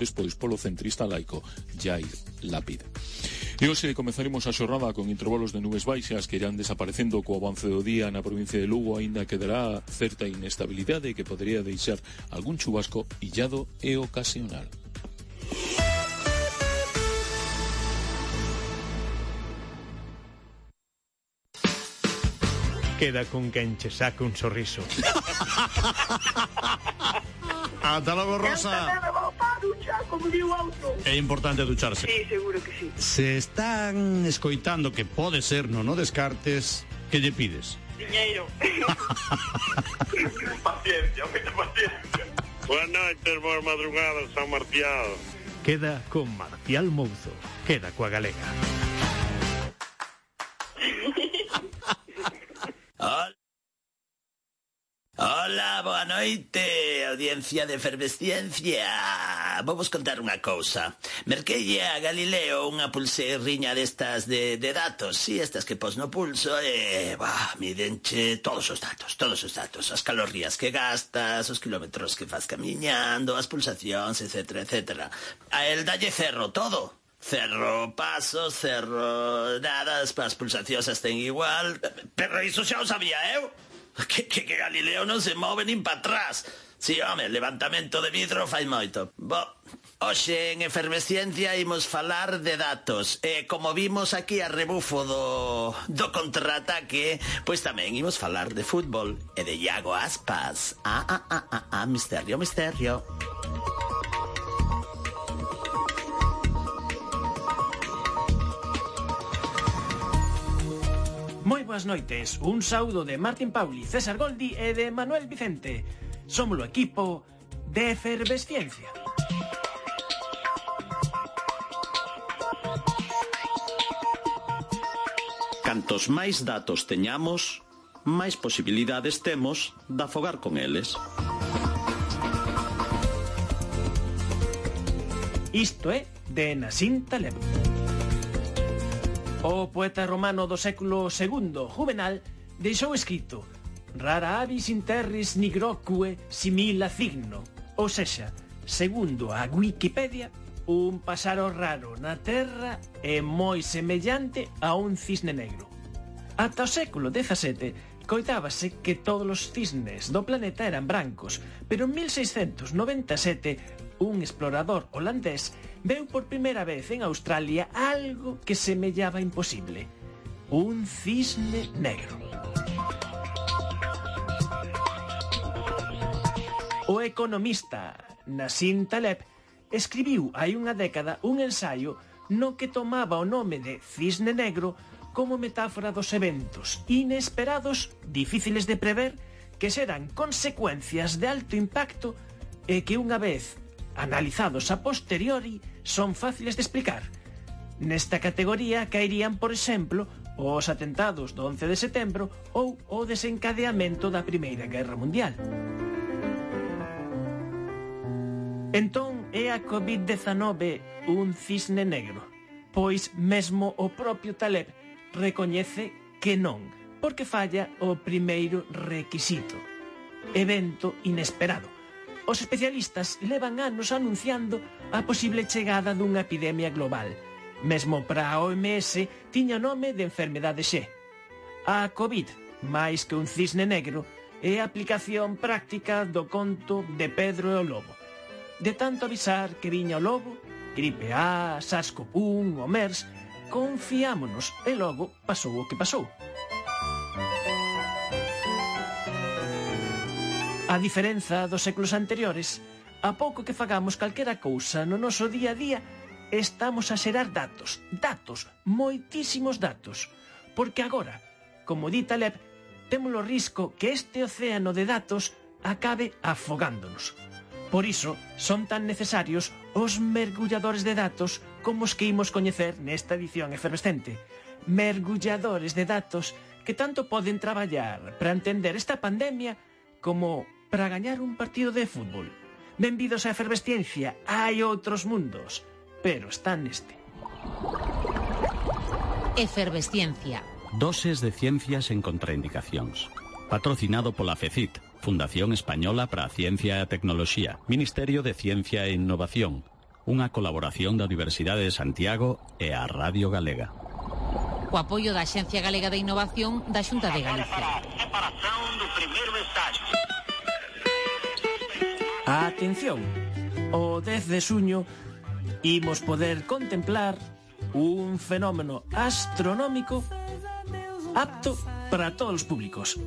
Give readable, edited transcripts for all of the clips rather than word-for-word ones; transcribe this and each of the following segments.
despois polo centrista laico Jair Lapid. E hoxe comezaremos a xornada con intervalos de nubes baixas que irán desaparecendo co avance do día na provincia de Lugo, aínda quedará certa inestabilidade que podería deixar algún chubasco illado e ocasional. Queda con quen che saca un sorriso. Ata logo, Rosa. É importante ducharse. Sí, seguro que sí. Se están escoitando que pode ser, non o descartes, que lle pides? Diñeiro. Paciencia, moita paciencia. Boa noite, boa madrugada, San Martial. Queda con Marcial Mouzo. Queda coa galega. Hola, boa noite, audiencia de Efervesciencia. Vamos contar unha cousa. Merquelle a Galileo unha pulseirriña destas de datos. Si, estas que pos no pulso mídenche todos os datos. As calorías que gastas, os kilómetros que fas camiñando, as pulsacións, etc, etc. A el dalle cerro todo. Cerro pasos, cerro nada, as pulsacións estén igual. Pero iso xa o sabía eu. Que Galileo non se move nin pa atrás. Si, home, levantamento de vidro fai moito. Hoxe en Efervesciencia imos falar de datos. E como vimos aquí a rebufo do contraataque, pois tamén imos falar de fútbol e de Iago Aspas. Misterio. Moi boas noites, un saúdo de Martín Pauli, César Goldi e de Manuel Vicente. Somos o equipo de Efervesciencia. Cantos máis datos teñamos, máis posibilidades temos de afogar con eles. Isto é de Nassim Taleb. O poeta romano do século II, Juvenal, deixou escrito: rara avis in terris nigroque simila cigno. Ou sexa, segundo a Wikipedia, un páxaro raro na terra é moi semellante a un cisne negro. Ata o século XVII coitábase que todos os cisnes do planeta eran brancos, pero en 1697 un explorador holandés veu por primeira vez en Australia algo que semellaba imposible: un cisne negro. O economista Nassim Taleb escribiu hai unha década un ensaio no que tomaba o nome de cisne negro como metáfora dos eventos inesperados, difíciles de prever, que serán consecuencias de alto impacto e que unha vez analizados a posteriori son fáciles de explicar. Nesta categoría caerían, por exemplo, os atentados do 11 de setembro ou o desencadeamento da Primeira Guerra Mundial. Entón, é a COVID-19 un cisne negro? Pois mesmo o propio Taleb recoñece que non, porque falla o primeiro requisito: evento inesperado. Os especialistas levan anos anunciando a posible chegada dunha epidemia global. Mesmo para a OMS tiña nome de enfermedade X. A COVID, máis que un cisne negro, é a aplicación práctica do conto de Pedro e o Lobo. De tanto avisar que viña o lobo, gripe A, SARS-CoV-1 ou MERS, confiámonos e logo pasou o que pasou. A diferenza dos séculos anteriores, a pouco que fagamos calquera cousa no noso día a día, estamos a xerar datos, moitísimos datos, porque agora, como di Taleb, temos o risco que este océano de datos acabe afogándonos. Por iso, son tan necesarios os mergulladores de datos como os que imos coñecer nesta edición efervescente. Mergulladores de datos que tanto poden traballar para entender esta pandemia como para gañar un partido de fútbol. Benvidos á Efervesciencia, hai outros mundos, pero están neste. Efervesciencia. Doses de ciencias en contraindicacións. Patrocinado pola FECIT, Fundación Española para a Ciencia e a Tecnoloxía, Ministerio de Ciencia e Innovación, unha colaboración da Universidade de Santiago e a Radio Galega. O apoio da Axencia Galega de Innovación da Xunta de Galicia. Atención, o 10 de xuño imos poder contemplar un fenómeno astronómico apto para todos os públicos.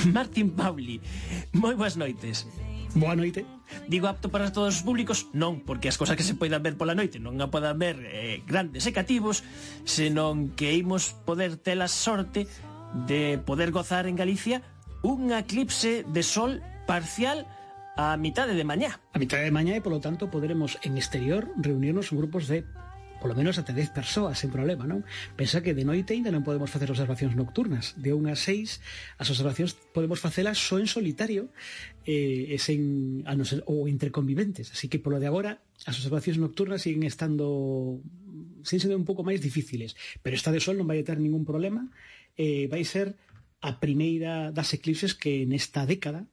Martín Pauli, moi boas noites. Boa noite. Digo apto para todos os públicos, non porque as cosas que se poidan ver pola noite non a podan ver grandes e cativos, senón que imos poder ter a sorte de poder gozar en Galicia un eclipse de sol parcial a mitade de mañá. A mitade de mañá e, polo tanto, poderemos en exterior reunirnos en grupos de polo menos até 10 persoas, sen problema, non? Pensa que de noite ainda non podemos facer observacións nocturnas. De 1 a 6, as observacións podemos facelas só en solitario e sen, ou entre conviventes. Así que, polo de agora, as observacións nocturnas siguen estando sen ser un pouco máis difíciles. Pero esta de sol non vai ter ningún problema. Vai ser a primeira das eclipses que nesta década,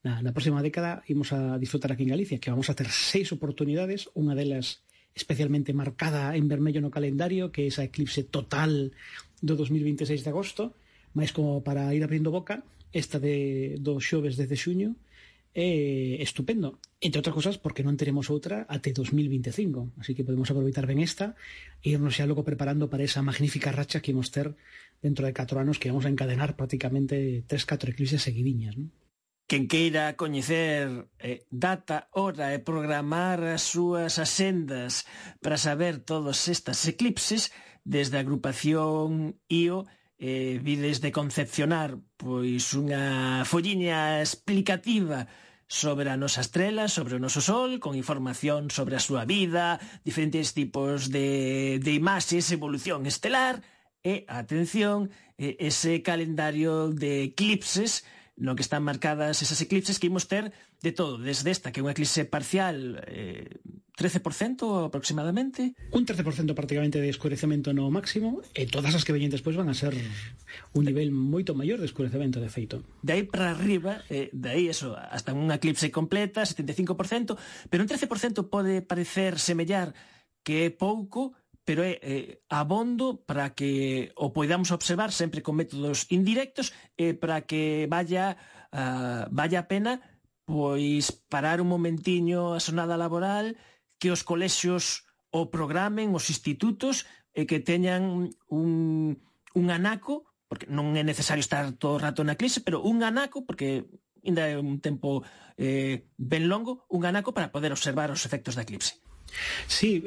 na próxima década, imos a disfrutar aquí en Galicia, que vamos a ter 6 oportunidades, unha delas especialmente marcada en vermello no calendario, que é esa eclipse total do 2026 de agosto, máis como para ir abrindo boca, esta do xoves 10 de xuño, é estupendo. Entre outras cosas, porque non teremos outra até 2025, así que podemos aproveitar ben esta e irnos xa logo preparando para esa magnífica racha que imos ter dentro de 4 anos, que vamos a encadenar prácticamente 3-4 eclipses seguidiñas, non? Quen queira coñecer data, hora e programar as súas asendas para saber todos estas eclipses, desde a agrupación IO vides de concepcionar pois unha folliña explicativa sobre a nosa estrela, sobre o noso sol, con información sobre a súa vida, diferentes tipos de imaxes, evolución estelar e, atención, ese calendario de eclipses no que están marcadas esas eclipses que imos ter de todo, desde esta, que é unha eclipse parcial 13% aproximadamente. Un 13% prácticamente de escurecemento no máximo, e todas as que veñen despois van a ser un nivel moito maior de escurecemento, de feito. De aí para arriba, de aí eso, hasta unha eclipse completa, 75%, pero un 13% pode parecer semellar que é pouco, pero é abondo para que o poidamos observar sempre con métodos indirectos e para que vaya a pena pois parar un momentiño a xornada laboral, que os colexios o programen, os institutos, e que teñan un anaco, porque non é necesario estar todo o rato na eclipse, pero un anaco, porque ainda é un tempo ben longo, un anaco para poder observar os efectos da eclipse. Sí,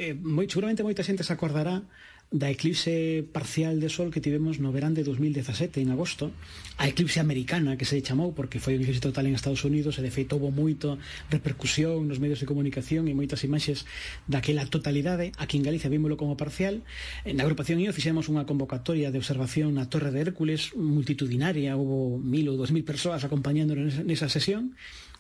seguramente moita xente se acordará da eclipse parcial de sol que tivemos no verán de 2017, en agosto, a eclipse americana, que se chamou porque foi un eclipse total en Estados Unidos, e de feito houve moito repercusión nos medios de comunicación e moitas imaxes daquela totalidade. Aquí en Galicia vímolo como parcial. Na agrupación IO fixemos unha convocatoria de observación na Torre de Hércules multitudinaria, houve 1.000 ou 2.000 persoas acompañándonos nesa sesión.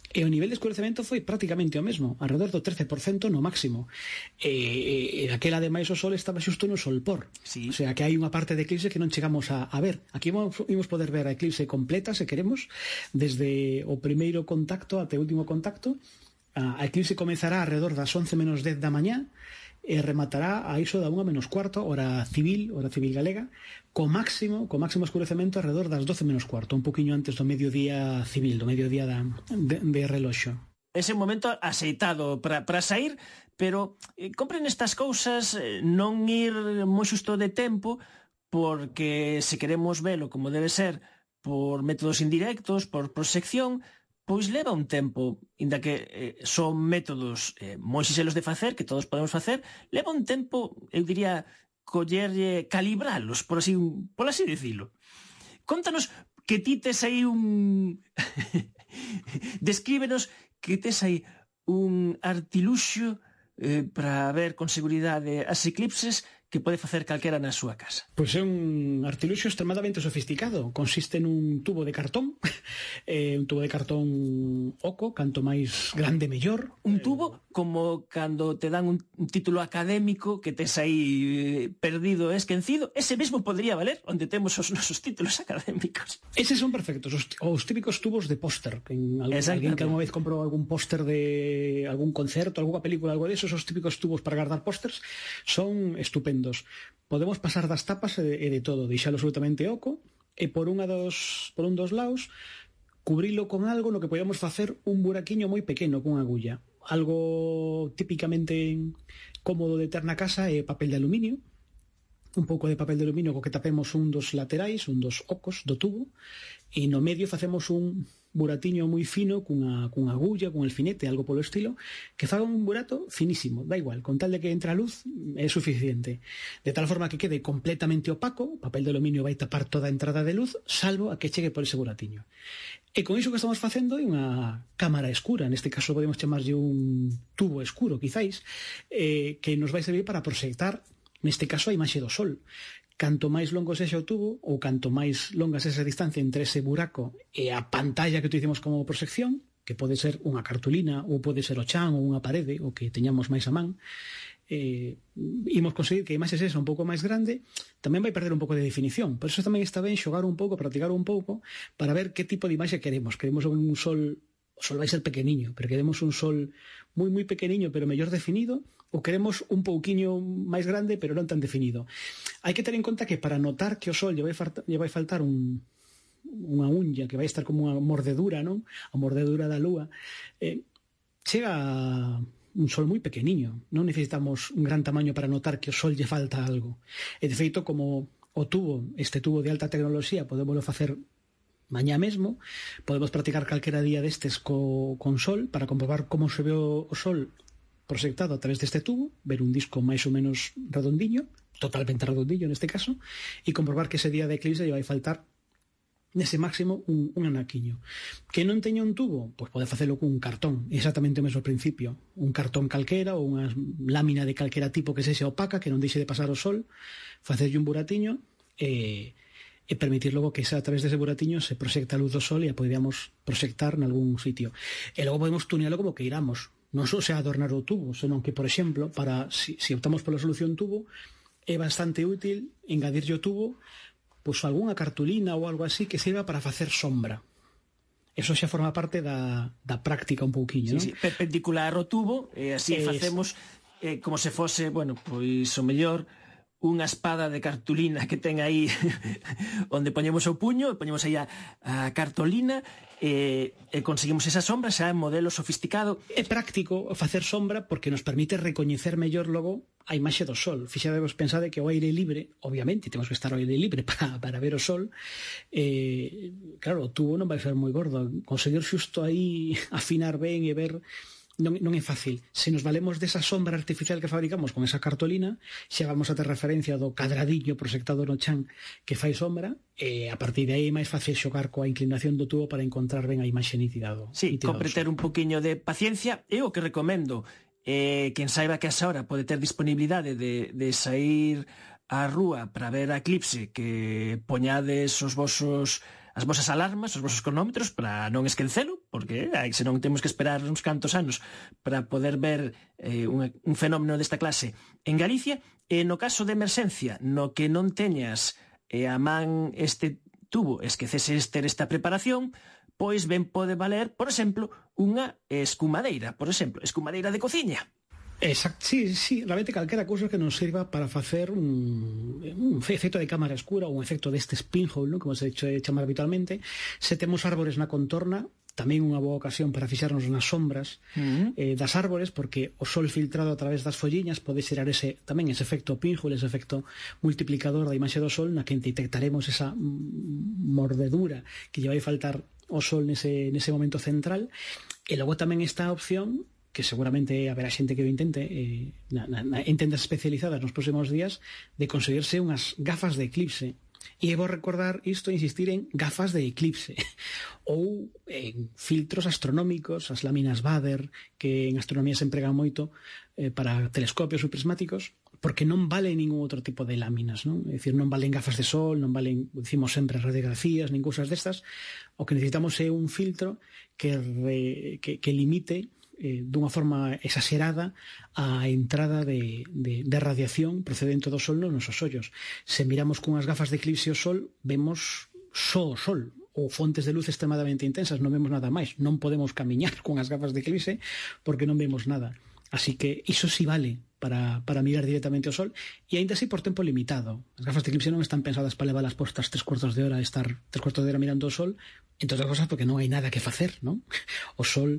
E o nivel de escurecemento foi prácticamente o mesmo, alrededor do 13% no máximo. E daquela, ademais, o sol estaba xusto no solpor. Sí. O sea, que hai unha parte de eclipse que non chegamos a ver. Aquí imos poder ver a eclipse completa, se queremos, desde o primeiro contacto até o último contacto. A eclipse comezará alrededor das 11:10 da mañá e rematará a iso da 1:15, hora civil galega, co máximo escurecemento alrededor das 12:15, un poquinho antes do mediodía civil, do mediodía de reloxo. Ese momento aceitado para sair, pero compren estas cousas, non ir moi xusto de tempo, porque se queremos velo como debe ser por métodos indirectos, por proxección, pois leva un tempo, inda que son métodos moi sinxelos de facer, que todos podemos facer, leva un tempo, eu diría, calibralos, por así dicilo. Contanos que ti tes aí un... Descríbenos que tes aí un artiluxo para ver con seguridade as eclipses que pode facer calquera na súa casa. Pois é un artiluxio extremadamente sofisticado. Consiste nun tubo de cartón, un tubo de cartón oco, canto máis grande mellor. Un tubo como cando te dan un título académico que tes aí perdido e esquecido, ese mesmo podría valer onde temos os nosos títulos académicos. Eses son perfectos, os típicos tubos de póster. Alguén que alguna vez comprou algún póster de algún concerto, alguna película, algo de esos, os típicos tubos para guardar pósters son estupendos. Podemos pasar das tapas e de todo, deixalo absolutamente oco e por un dos lados cubrilo con algo no que podemos facer un buraquiño moi pequeno con agulla. Algo típicamente cómodo de ter na casa é papel de aluminio, un pouco de papel de aluminio co que tapemos un dos laterais, un dos ocos do tubo, e no medio facemos un buratiño moi fino cunha agulla, cun alfinete, algo polo estilo, que faga un burato finísimo, da igual, con tal de que entre a luz é suficiente, de tal forma que quede completamente opaco. O papel de aluminio vai tapar toda a entrada de luz, salvo a que chegue por ese buratiño. E con iso que estamos facendo é unha cámara escura, neste caso podemos chamarlle un tubo escuro, quizáis, que nos vai servir para proxectar, neste caso, a imaxe do sol. Canto máis longo sexa o tubo, ou canto máis longa sexa a distancia entre ese buraco e a pantalla que utilizamos como proxección, que pode ser unha cartulina, ou pode ser o chan ou unha parede, o que teñamos máis a man, imos conseguir que a imaxe sexa un pouco máis grande, tamén vai perder un pouco de definición. Por iso tamén está ben xogar un pouco, practicar un pouco, para ver que tipo de imaxe queremos. Queremos un sol... O sol vai ser pequeniño, pero queremos un sol moi moi pequeniño pero mellor definido, ou queremos un pouquiño máis grande pero non tan definido. Hai que ter en conta que para notar que o sol lle vai faltar unha uña, que vai estar como unha mordedura, non? A mordedura da lúa, chega un sol moi pequeniño. Non necesitamos un gran tamaño para notar que o sol lle falta algo. E de feito, como o tubo, este tubo de alta tecnoloxía, podémoslo facer mañá mesmo, podemos practicar calquera día destes con sol para comprobar como se ve o sol proxectado a través deste tubo, ver un disco máis ou menos redondiño, totalmente redondiño neste caso, e comprobar que ese día de eclipse lle vai faltar nese máximo un anaquiño. Que non teña un tubo, pois pode facelo cun cartón, exactamente o mesmo principio, un cartón calquera ou unha lámina de calquera tipo que sexa opaca, que non deixe de pasar o sol, facerlle un buratiño e permitir logo que a través dese buratiño se proxecta a luz do sol e a podríamos proxectar nalgún sitio. E logo podemos tunealo como que iramos. Non só se adornar o tubo, senón que, por exemplo, si optamos pola solución tubo, é bastante útil engadirlle o tubo pois algunha cartulina ou algo así que sirva para facer sombra. Eso xa forma parte da práctica un pouquiño, non? Sí, perpendicular o tubo, e así facemos como se fose, bueno, pois o mellor unha espada de cartulina que ten aí onde poñemos o puño, poñemos aí a cartolina e conseguimos esa sombra xa en modelo sofisticado. É práctico facer sombra porque nos permite recoñecer mellor logo a imaxe do sol. Fixadevos, pensade que o aire libre, obviamente temos que estar ao aire libre para ver o sol, claro, o tubo non vai ser moi gordo, conseguir xusto aí afinar ben e ver non é fácil. Se nos valemos desa sombra artificial que fabricamos con esa cartolina, xa vamos a ter referencia do cadradiño proxectado no chan que fai sombra, e a partir de aí é máis fácil xogar coa inclinación do tubo para encontrar ben a imaxe nítida do sol. Sí, compre ter un poquinho de paciencia. Eu o que recomendo quen saiba que a esa hora pode ter disponibilidade de sair á rúa para ver a eclipse, que poñades as vosas alarmas, os vosos cronómetros para non esquecelo, porque senón temos que esperar uns cantos anos para poder ver un fenómeno desta clase en Galicia. E no caso de emerxencia, no que non teñas a man este tubo, esqueceses ter esta preparación, pois ben pode valer, por exemplo, unha escumadeira, escumadeira de cociña. Exacto, sí, realmente calquera cousa que nos sirva para facer un efecto de cámara escura ou un efecto deste pinhole, ¿no? Como se chamar habitualmente. Se temos árbores na contorna, tamén unha boa ocasión para fixarnos nas sombras das árbores, porque o sol filtrado a través das folliñas pode xerar tamén ese efecto pinhole, ese efecto multiplicador da imaxe do sol, na que detectaremos esa mordedura que lle vai faltar o sol nese momento central. E logo tamén está a opción, que seguramente haberá xente que o intente en tendas especializadas nos próximos días, de conseguirse unhas gafas de eclipse. E vou recordar isto, insistir en gafas de eclipse ou en filtros astronómicos, as láminas Bader, que en astronomía se empregan moito para telescopios ou prismáticos, porque non vale ningún outro tipo de láminas, non? É dicir, non valen gafas de sol, non valen, decimos sempre, radiografías, nin cousas destas. O que necesitamos é un filtro que limite dunha forma exagerada a entrada de radiación procedente do sol nos nosos ollos. Se miramos cunhas gafas de eclipse ao sol, vemos só o sol, ou fontes de luz extremadamente intensas, non vemos nada máis. Non podemos camiñar cunhas gafas de eclipse porque non vemos nada. Así que iso sí vale para mirar directamente ao sol, e aínda así por tempo limitado. As gafas de eclipse non están pensadas para leválas postas 3/4 de hora, estar 3/4 de hora mirando o sol, entre outras cosas porque non hai nada que facer, non? O sol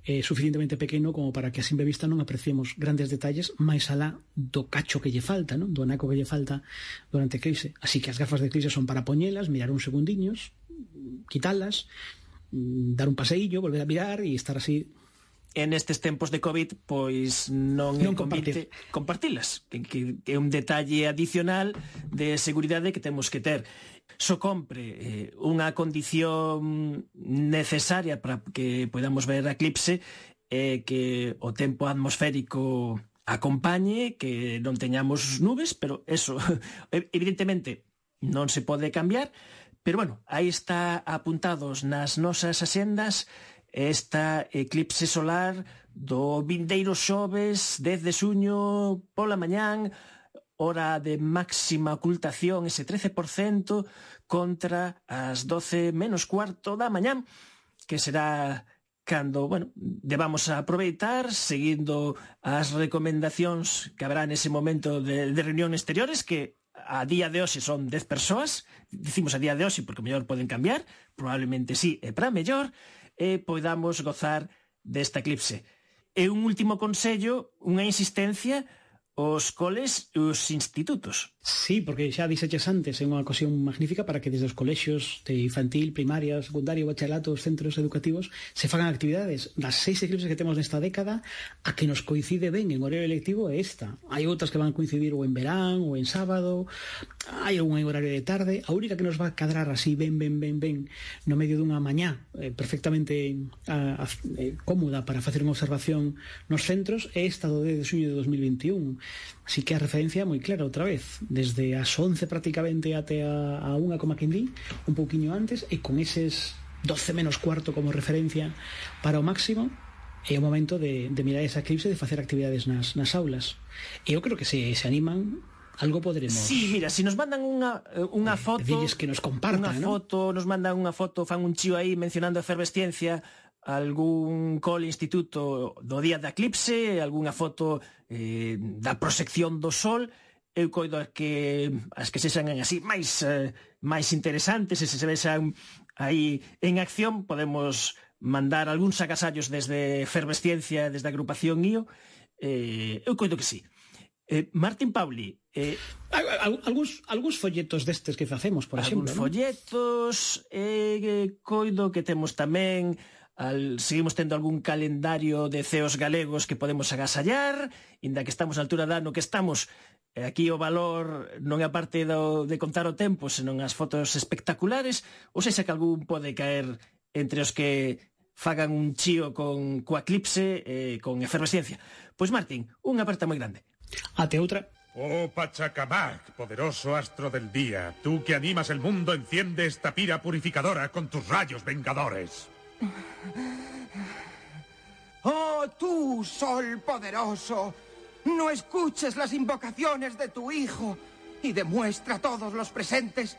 é suficientemente pequeno como para que a simple vista non apreciemos grandes detalles máis alá do cacho que lle falta, non? Do anaco que lle falta durante a eclipse. Así que as gafas de eclipse son para poñelas, mirar uns segundiños, quitalas, dar un paseillo, volver a mirar e estar así. En estes tempos de COVID, pois non é convite compartilas, que é un detalle adicional de seguridade que temos que ter. Só compre unha condición necesaria para que podamos ver a eclipse, que o tempo atmosférico acompañe, que non teñamos nubes, pero eso evidentemente non se pode cambiar. Pero bueno, aí está apuntados nas nosas axendas esta eclipse solar do vindeiro xoves 10 de xuño pola mañán, hora de máxima ocultación, ese 13% contra as 12 menos cuarto da mañán, que será cando, bueno, debamos aproveitar seguindo as recomendacións que habrá nese momento de reunión exteriores, que a día de hoxe son 10 persoas. Dicimos a día de hoxe porque mellor poden cambiar, probablemente sí, e para mellor, e podamos gozar desta eclipse. E un último consello, unha insistencia, os coles e os institutos. Sí, porque xa dixeches antes, é unha ocasión magnífica para que desde os colexios de infantil, primaria, secundario, bachelato, os centros educativos se fagan actividades. Das 6 eclipses que temos nesta década, a que nos coincide ben en horario electivo é esta. Hai outras que van coincidir ou en verán ou en sábado, hai algún horario de tarde. A única que nos va a cadrar así ben no medio dunha mañá perfectamente cómoda para facer unha observación nos centros é esta do 10 de xuño de 2021. Así que a referencia é moi clara outra vez, desde as 11 prácticamente até a 1 como quen di, un pouquiño antes, e con eses 12 menos cuarto como referencia para o máximo, é o momento de mirar esa eclipse, de facer actividades nas aulas. E eu creo que se animan, algo poderemos. Sí, mira, se nos mandan unha foto, dilles que nos compartan, nos mandan unha foto, fan un chío aí mencionando a efervesciencia, algún cole instituto do día da eclipse, algunha foto da proxección do sol. Eu coido que as que sexan así máis interesantes, e se vexan aí en acción, podemos mandar algúns agasallos desde efervesciencia, desde a agrupación IO. Eu coido que sí. Martín Pauli, algúns folletos destes que facemos, por exemplo, algúns folletos, coido que temos tamén seguimos tendo algún calendario de ceos galegos que podemos agasallar, inda que estamos na altura da ano que estamos. Aquí o valor non é a parte de contar o tempo, senón as fotos espectaculares, ou sexa que algún pode caer entre os que fagan un chío coa eclipse, con efervesciencia. Pois Martín, unha aperta moi grande. Até outra. Oh Pachacamac, poderoso astro del día, tú que animas el mundo, enciende esta pira purificadora con tus rayos vengadores. Oh, tú, sol poderoso, no escuches las invocaciones de tu hijo y demuestra a todos los presentes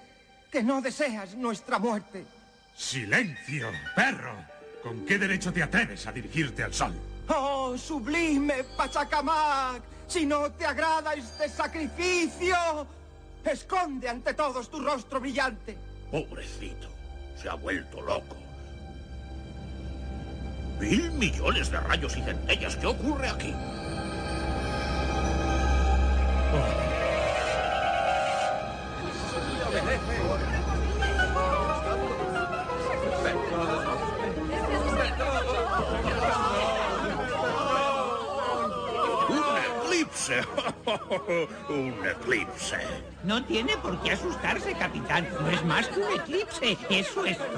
que no deseas nuestra muerte. ¡Silencio, perro! ¿Con qué derecho te atreves a dirigirte al sol? Oh, sublime Pachacamac, si no te agrada este sacrificio, esconde ante todos tu rostro brillante. Pobrecito, se ha vuelto loco. 1.000 millones de rayos y centellas, ¿qué ocurre aquí? Un eclipse. No tiene por qué asustarse, capitán. No es más que un eclipse. Eso es todo.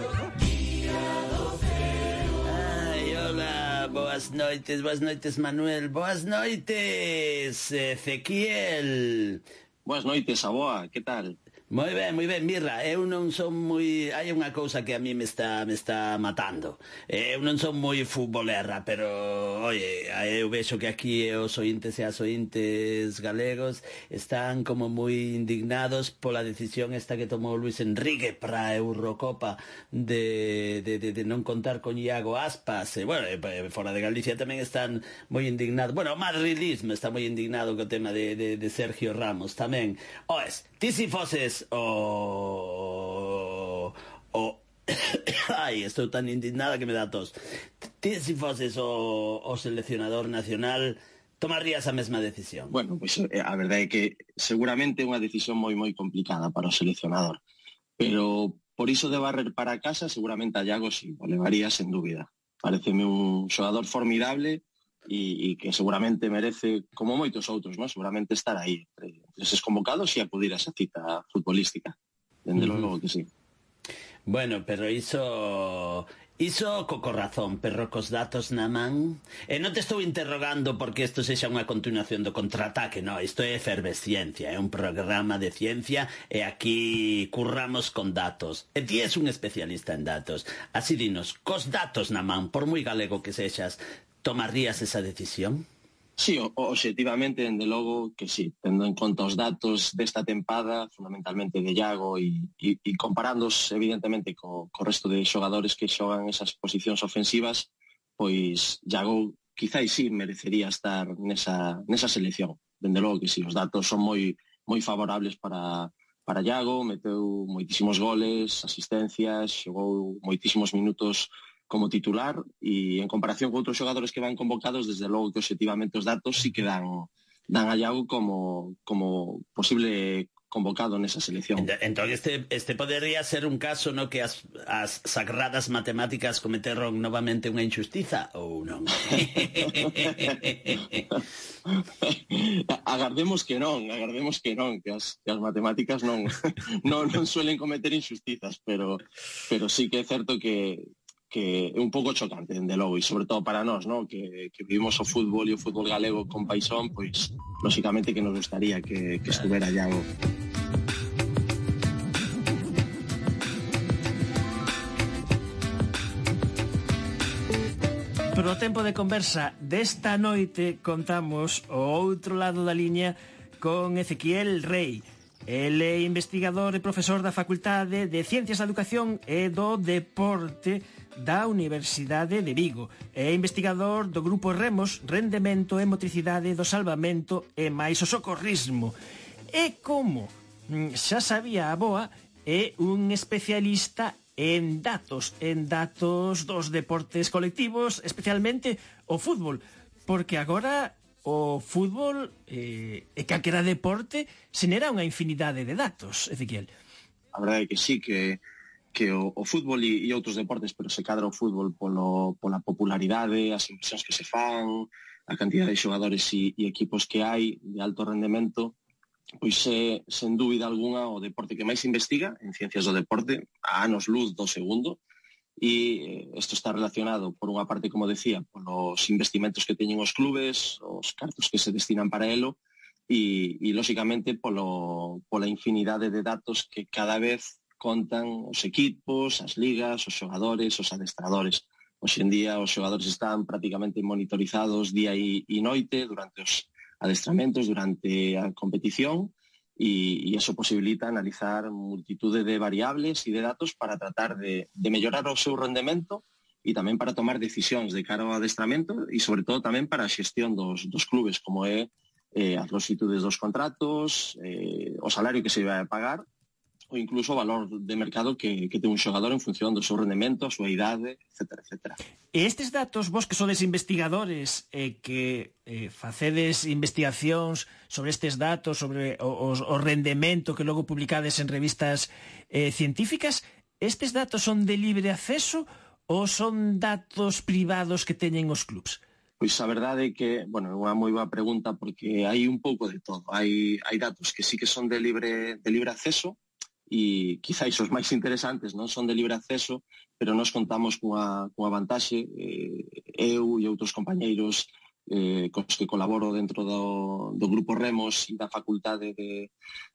boas noites, Manuel. Boas noites, Ezequiel. Boas noites, Aboa, que tal? Moi ben, Mirra, eu non son moi... Hai unha cousa que a mí me está matando. Eu non son moi futbolera, pero, oye, eu vexo que aquí os ointes e as ointes galegos están como moi indignados pola decisión esta que tomou Luis Enrique para a Eurocopa de non contar con Iago Aspas. Bueno, fora de Galicia tamén están moi indignados. Bueno, o madridismo está moi indignado co tema de Sergio Ramos tamén. Oes, ti si foses ai, estou tan indignada que me dá tos. Ti si foses o seleccionador nacional, tomarías a mesma decisión? Bueno, pois a verdade é que seguramente é unha decisión moi complicada para o seleccionador, pero por iso de barrer para casa seguramente a Iago sí, o levaría sen dúbida. Pareceme un xogador formidable e que seguramente merece, como moitos outros, ¿no? Seguramente estar aí entre eses convocados e acudir a esa cita futbolística. Dende logo que sí. Bueno, pero iso co corazón, pero cos datos na man. E non te estou interrogando porque isto sexa unha continuación do contraataque, no, isto é efervesciencia, é un programa de ciencia e aquí curramos con datos. E ti és un especialista en datos. Así dinos, cos datos na man, por moi galego que sexas, tomarías esa decisión? Sí, obxectivamente, dende logo que sí, tendo en conta os datos desta tempada, fundamentalmente de Iago e comparándos evidentemente co resto de xogadores que xogan esas posicións ofensivas, pois Iago quizáis sí merecería estar nesa selección. Dende logo que sí, os datos son moi favorables para Iago, meteu moitísimos goles, asistencias, xogou moitísimos minutos como titular e en comparación con outros xogadores que van convocados, desde logo que obxectivamente os datos sí que dan a Iago como posible convocado nesa selección. Entón este podería ser un caso no que as sagradas matemáticas cometeron novamente unha injustiza ou non? Agardemos que non, que as matemáticas non suelen cometer injustizas, pero sí que é certo que é un pouco chocante, dende logo, e sobre todo para nós, ¿no? que vivimos o fútbol e o fútbol galego con paixón, pois, lóxicamente que nos gustaría que estuvera Iago. Pro tempo de conversa desta noite contamos o outro lado da liña con Ezequiel Rei. El é investigador e profesor da Facultade de Ciencias da Educación e do Deporte da Universidade de Vigo. É investigador do grupo Remos, Rendemento e Motricidade do Salvamento e máis o Socorrismo. E como xa sabía a boa, é un especialista en datos dos deportes colectivos, especialmente o fútbol, porque agora o fútbol e calquera deporte xenera unha infinidade de datos, Ezequiel. A verdade é que sí, que o fútbol e outros deportes, pero se cadra o fútbol pola popularidade, as inversións que se fan, a cantidad de xogadores e equipos que hai de alto rendemento, pois é, sen dúbida alguna, o deporte que máis investiga en ciencias do deporte, a anos luz do segundo, e isto está relacionado, por unha parte, como decía, polos investimentos que teñen os clubes, os cartos que se destinan para elo, e lóxicamente, pola infinidade de datos que cada vez contan os equipos, as ligas, os xogadores, os adestradores. Hoxe en día os xogadores están prácticamente monitorizados día e noite durante os adestramentos, durante a competición, e iso posibilita analizar multitude de variables e de datos para tratar de mellorar o seu rendemento e tamén para tomar decisións de cara ao adestramento e sobre todo tamén para a xestión dos clubes, como é as longitudes dos contratos, o salario que se vai a pagar ou incluso o valor de mercado que ten un xogador en función do seu rendemento, a súa idade, etc. E estes datos, vos que sodes investigadores e que facedes investigacións sobre estes datos, sobre o rendemento que logo publicades en revistas científicas, estes datos son de libre acceso ou son datos privados que teñen os clubs? Pois a verdade é que, bueno, é unha moi boa pregunta porque hai un pouco de todo. Hai datos que sí que son de libre acceso, e quizáis os máis interesantes non son de libre acceso, pero nós contamos cunha vantaxe, eu e outros compañeiros cos que colaboro dentro do Grupo Remos e da Facultade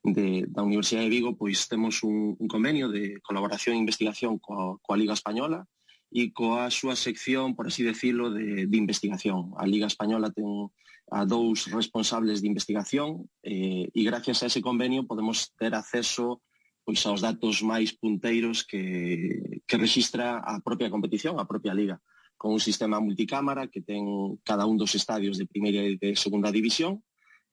da Universidade de Vigo, pois temos un convenio de colaboración e investigación coa Liga Española e coa súa sección, por así decirlo, de investigación. A Liga Española ten a 2 responsables de investigación e gracias a ese convenio podemos ter acceso pois aos datos máis punteiros que rexistra a propia competición, a propia liga, con un sistema multicámara que ten cada un dos estadios de primeira e de segunda división,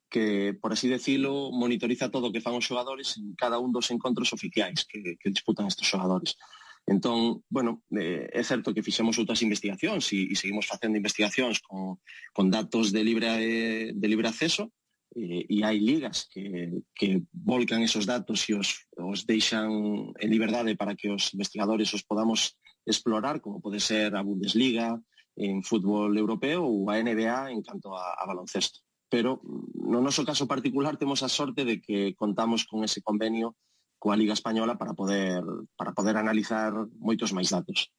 que, por así decirlo, monitoriza todo o que fan os xogadores en cada un dos encontros oficiais que disputan estes xogadores. Entón, bueno, é certo que fixemos outras investigacións e seguimos facendo investigacións con datos de libre acceso, e hai ligas que volcan esos datos e os deixan en liberdade para que os investigadores os podamos explorar, como pode ser a Bundesliga en fútbol europeo ou a NBA en canto a baloncesto. Pero no noso caso particular temos a sorte de que contamos con ese convenio coa Liga Española para poder analizar moitos máis datos.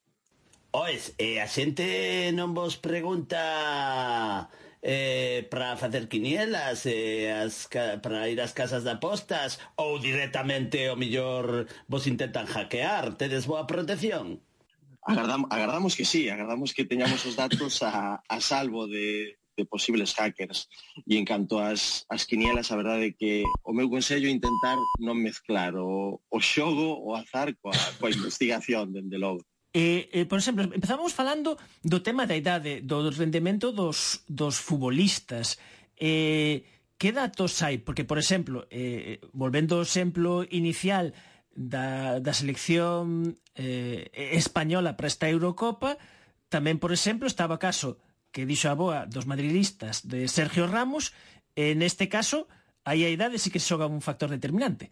Oes, a xente non vos pregunta para facer quinielas, para ir ás casas de apostas, ou directamente o mellor vos intentan hackear? Tedes boa protección? Agardamos que sí, agardamos que teñamos os datos a salvo de posibles hackers. E en canto ás quinielas, a verdade é que o meu consello é intentar non mezclar o xogo, o azar coa investigación, dende logo. Por exemplo, empezamos falando do tema da idade, do rendemento dos futbolistas. Que datos hai? Porque, por exemplo, volvendo ao exemplo inicial da selección española para esta Eurocopa, tamén, por exemplo, estaba o caso que dixo a boa dos madridistas de Sergio Ramos. Neste caso, aí a idade sí que xoga un factor determinante.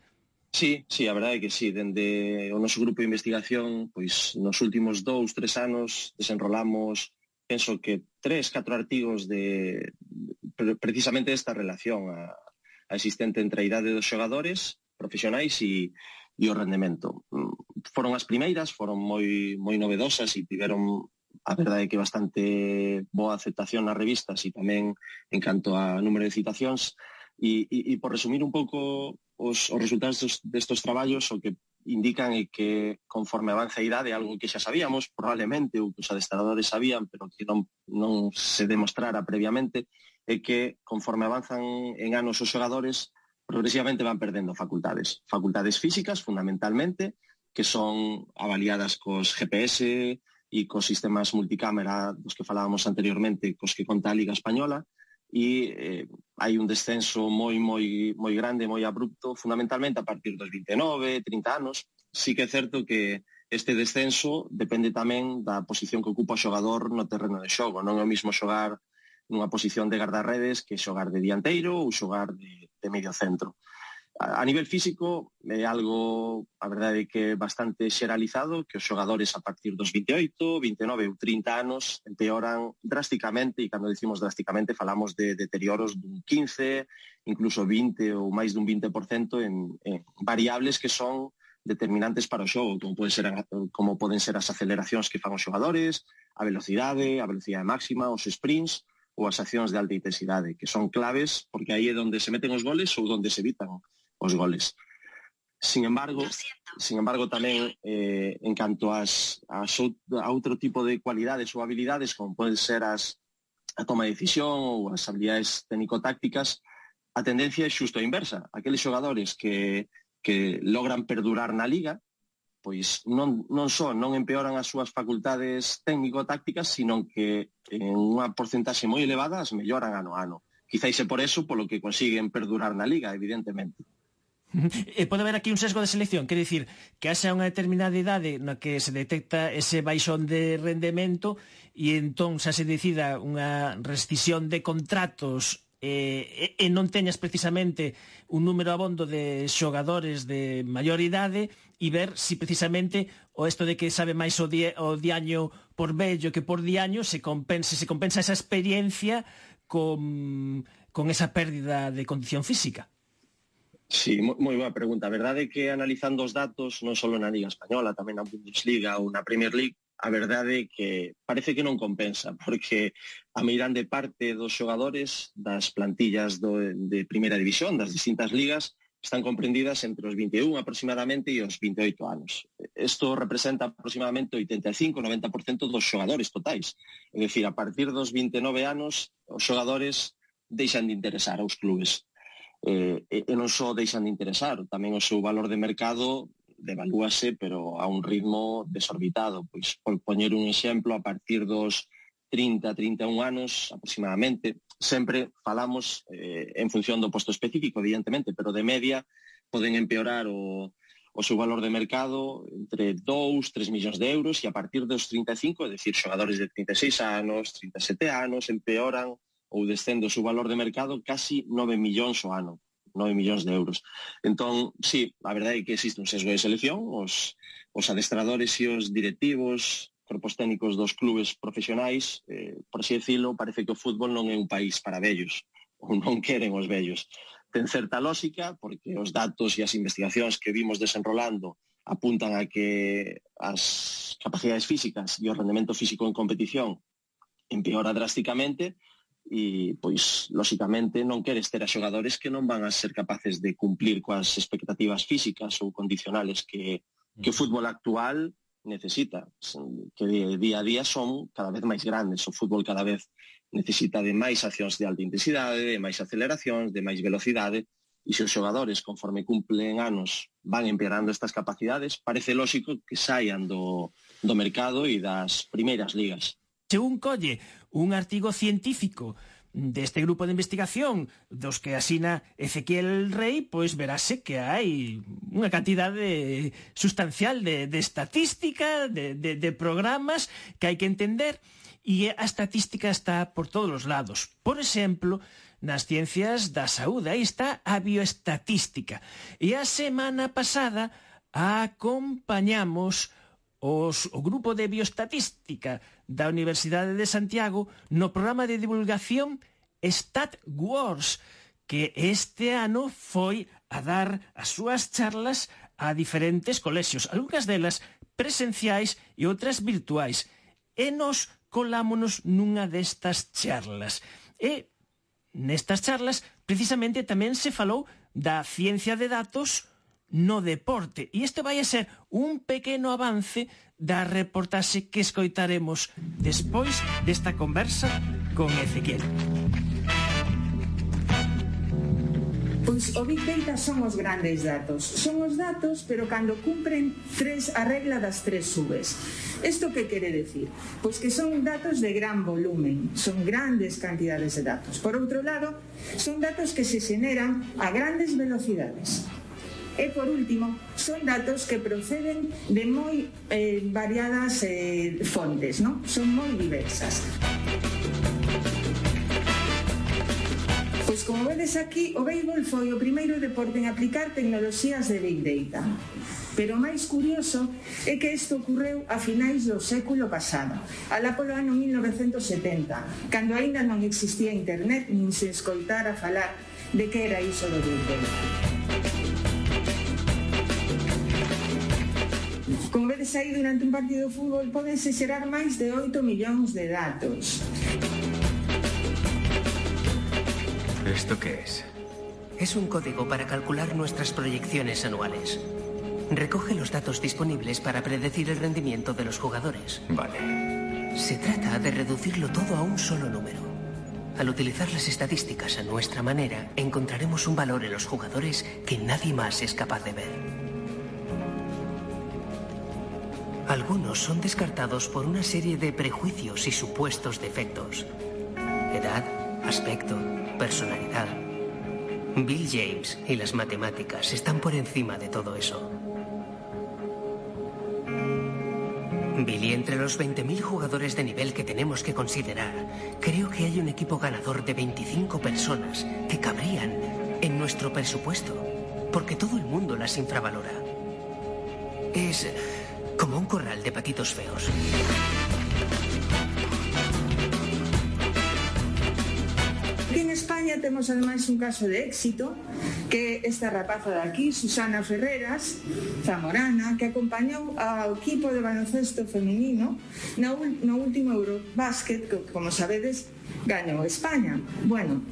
Sí, a verdade é que sí. Dende o noso grupo de investigación, pois nos últimos 2-3 anos desenrolamos, penso que 3-4 artigos de precisamente esta relación a existente entre a idade dos xogadores profesionais e o rendemento. Foron as primeiras, foron moi novedosas e tiveron, a verdade é que bastante boa aceptación nas revistas e tamén en canto a número de citacións. E por resumir un pouco os resultados destos traballos, o que indican é que conforme avanza a idade, algo que xa sabíamos probablemente, ou que os adestradores sabían pero que non se demostrara previamente, é que conforme avanzan en anos os xogadores progresivamente van perdendo facultades físicas fundamentalmente, que son avaliadas cos GPS e cos sistemas multicámara dos que falábamos anteriormente, cos que conta a Liga Española, e hai un descenso moi grande, moi abrupto, fundamentalmente a partir dos 29, 30 anos. Sí que é certo que este descenso depende tamén da posición que ocupa o xogador no terreno de xogo. Non é o mismo xogar nunha posición de guardarredes que xogar de dianteiro ou xogar de medio centro. A nivel físico é algo, a verdade é que bastante xeralizado, que os xogadores a partir dos 28, 29 ou 30 anos empeoran drásticamente, e cando decimos drásticamente falamos de deterioros dun 15, incluso 20 ou máis dun 20% en variables que son determinantes para o xogo, como poden ser as aceleracións que fan os xogadores, a velocidade máxima, os sprints ou as accións de alta intensidade, que son claves porque aí é onde se meten os goles ou onde se evitan os goles. Sin embargo, tamén en canto a outro tipo de cualidades ou habilidades, como poden ser a toma de decisión ou as habilidades técnico-tácticas, a tendencia é xusto a inversa. Aqueles xogadores que logran perdurar na liga, pois non empeoran as súas facultades técnico-tácticas, sino que en unha porcentaxe moi elevada as melloran ano a ano. Quizáis é por eso polo que consiguen perdurar na liga, evidentemente. Pode haber aquí un sesgo de selección, quer dicir que haxa unha determinada idade na que se detecta ese baixón de rendemento e entón xa se decida unha rescisión de contratos e non teñas precisamente un número abondo de xogadores de maior idade e ver si precisamente o esto de que sabe máis o diaño por vello que por diaño se compensa esa experiencia con esa pérdida de condición física. Sí, moi boa pregunta. A verdade é que analizando os datos, non só na Liga Española, tamén na Bundesliga ou na Premier League, a verdade é que parece que non compensa, porque a meirande parte dos xogadores das plantillas de Primeira División, das distintas ligas, están comprendidas entre os 21 aproximadamente e os 28 anos. Isto representa aproximadamente 85-90% dos xogadores totais. É dicir, a partir dos 29 anos, os xogadores deixan de interesar aos clubes. E non só deixan de interesar, tamén o seu valor de mercado devalúase, pero a un ritmo desorbitado. Pois, por poñer un exemplo, a partir dos 30-31 anos aproximadamente, sempre falamos en función do posto específico, evidentemente, pero de media poden empeorar o seu valor de mercado entre 2-3 millóns de euros, e a partir dos 35, é dicir, xogadores de 36 anos, 37 anos, empeoran ou descende o seu valor de mercado casi 9 millóns ao ano, 9 millóns de euros. Entón, sí, a verdade é que existe un sesgo de selección, os adestradores e os directivos, corpos técnicos dos clubes profesionais, por así decirlo, parece que o fútbol non é un país para vellos, ou non queren os vellos. Ten certa lógica, porque os datos e as investigacións que vimos desenrolando apuntan a que as capacidades físicas e o rendemento físico en competición empeora drásticamente, e, pois, lóxicamente, non queres ter a xogadores que non van a ser capaces de cumplir coas expectativas físicas ou condicionales que o fútbol actual necesita, que día a día son cada vez máis grandes. O fútbol cada vez necesita de máis accións de alta intensidade, de máis aceleracións, de máis velocidade, e se os xogadores, conforme cumplen anos, van empeorando estas capacidades, parece lóxico que saian do mercado e das primeiras ligas. Según colle un artigo científico deste grupo de investigación dos que asina Ezequiel Rey, pois verase que hai unha cantidade sustancial de estatística, de programas que hai que entender, e a estatística está por todos os lados. Por exemplo, nas ciencias da saúde, aí está a bioestatística. E a semana pasada acompañamos o grupo de bioestatística da Universidade de Santiago no programa de divulgación StatWars, que este ano foi a dar as súas charlas a diferentes colexios, algunhas delas presenciais e outras virtuais, e nos colámonos nunha destas charlas. E nestas charlas precisamente tamén se falou da ciencia de datos no deporte, e este vai a ser un pequeno avance da reportaxe que escoitaremos despois desta conversa con Ezequiel. Pois o Big Data son os grandes datos. Son os datos, pero cando cumpren a regla das 3 subes. Isto que quere decir? Pois que son datos de gran volumen, son grandes cantidades de datos. Por outro lado, son datos que se xeneran a grandes velocidades. E, por último, son datos que proceden de moi variadas fontes, non? Son moi diversas. Pois, como vedes aquí, o béisbol foi o primeiro deporte en aplicar tecnoloxías de Big Data. Pero o máis curioso é que isto ocorreu a finais do século pasado, alá polo ano 1970, cando aínda non existía internet nin se escoitara falar de que era iso do Big Data. Como vedes aí, durante un partido de fútbol pódense xerar máis de 8 millóns de datos. ¿Esto qué es? Es un código para calcular nuestras proyecciones anuales. Recoge los datos disponibles para predecir el rendimiento de los jugadores. Vale. Se trata de reducirlo todo a un solo número. Al utilizar las estadísticas a nuestra manera, encontraremos un valor en los jugadores que nadie más es capaz de ver. Algunos son descartados por una serie de prejuicios y supuestos defectos. Edad, aspecto, personalidad. Bill James y las matemáticas están por encima de todo eso. Billy, entre los 20.000 jugadores de nivel que tenemos que considerar, creo que hay un equipo ganador de 25 personas que cabrían en nuestro presupuesto, porque todo el mundo las infravalora. Es como un corral de patitos feos. Aquí en España España temos ademais un caso de éxito, que esta rapaza de aquí, Susana Ferreras, zamorana, que acompañou ao equipo de baloncesto feminino no último Eurobásquet, que, como sabedes, gañou España. Bueno,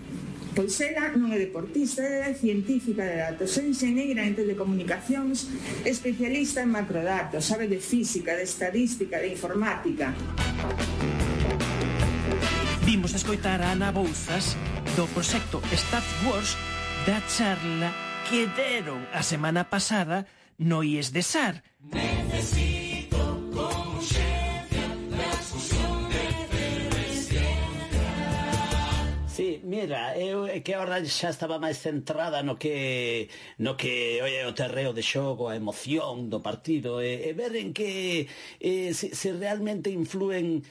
pois ela non é deportista, ela é científica de datos, é enxeñeira en telecomunicacións, especialista en macrodatos, sabe de física, de estadística, de informática. Vimos escoitar a Ana Bouzas do proxecto Stat Wars da charla que deron a semana pasada no IES de SAR. Necesito con urxencia transfusión de efervesciencia. Sí, mira, eu é que ahora xa estaba máis centrada no que o terreo de xogo, a emoción do partido, e ver en que se realmente influen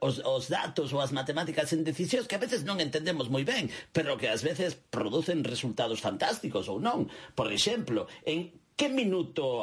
os datos ou as matemáticas en decisións que a veces non entendemos moi ben, pero que ás veces producen resultados fantásticos ou non. Por exemplo, en que minuto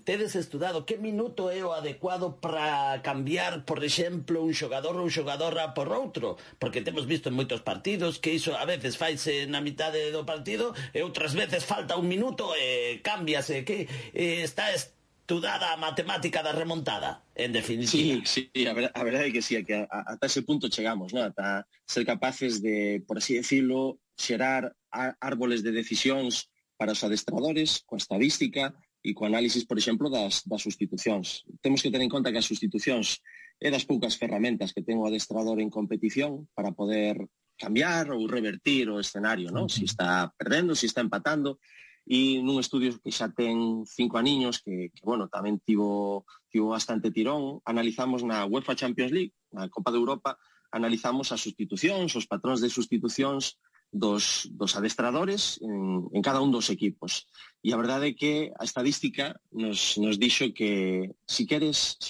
tedes estudado que minuto é o adecuado para cambiar, por exemplo, un xogador ou xogadora por outro? Porque temos visto en moitos partidos que iso a veces faise na mitade do partido e outras veces falta un minuto e cámbiase, que está estudada a matemática da remontada, en definitiva. Sí, a verdade é que sí, que ata ese punto chegamos, ¿no? Ata ser capaces de, por así decirlo, xerar árboles de decisións para os adestradores, coa estadística e co análisis, por exemplo, das sustitucións. Temos que ter en conta que as sustitucións é das poucas ferramentas que ten o adestrador en competición para poder cambiar ou revertir o escenario, ¿no? Si está perdendo, si está empatando. E nun estudio que xa ten 5 aniños, que bueno, tamén tivo bastante tirón, analizamos na UEFA Champions League, na Copa de Europa, analizamos as sustitucións, os patróns de sustitucións dos adestradores en cada un dos equipos. E a verdade é que a estadística nos dixo que si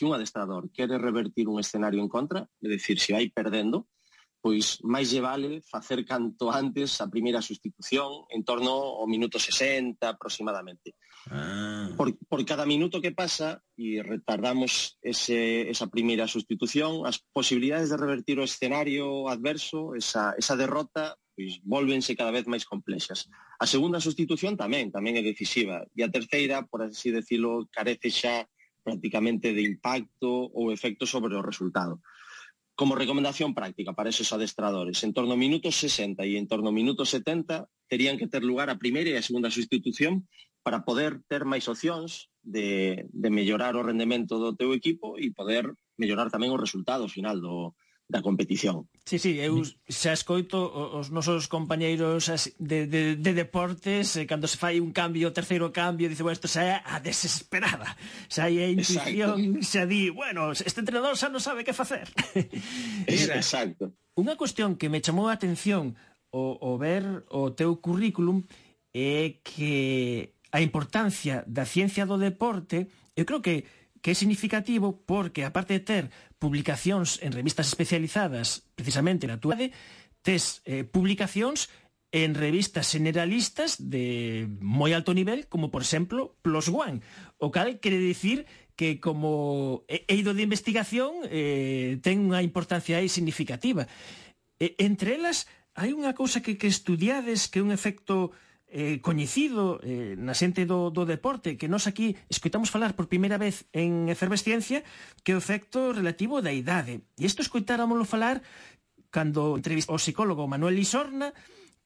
un adestrador quere revertir un escenario en contra, é dicir, se vai perdendo, pois máis lle vale facer canto antes a primeira sustitución en torno ao minuto 60 aproximadamente. Por cada minuto que pasa e retardamos esa primeira sustitución, as posibilidades de revertir o escenario adverso, esa derrota, pois volvense cada vez máis complexas. A segunda sustitución tamén é decisiva, e a terceira, por así decirlo, carece xa prácticamente de impacto ou efecto sobre o resultado. Como recomendación práctica para esos adestradores, en torno ao minuto 60 e en torno ao minuto 70 terían que ter lugar a primeira e a segunda sustitución para poder ter máis opcións de mellorar o rendemento do teu equipo e poder mellorar tamén o resultado final da competición. Sí, eu xa escoito os nosos compañeiros de deportes, cando se fai un cambio, o terceiro cambio, dice, bueno, isto xa é a desesperada, xa é a intuición, xa di, bueno, este entrenador xa non sabe que facer. Exacto. Unha cuestión que me chamou a atención o ver o teu currículum é que a importancia da ciencia do deporte, eu creo que é significativo porque, aparte de ter publicacións en revistas especializadas precisamente na túa área, tes publicacións en revistas generalistas de moi alto nivel, como, por exemplo, PLOS ONE, o cal quere dicir que como eido de investigación ten unha importancia aí significativa. Entre elas, hai unha cousa que estudiades, que é un efecto coñecido na xente do deporte, que nós aquí escoitamos falar por primeira vez en Efervesciencia, que é o efecto relativo da idade. E isto escoitáramoslo falar cando entrevistou o psicólogo Manuel Lisorna,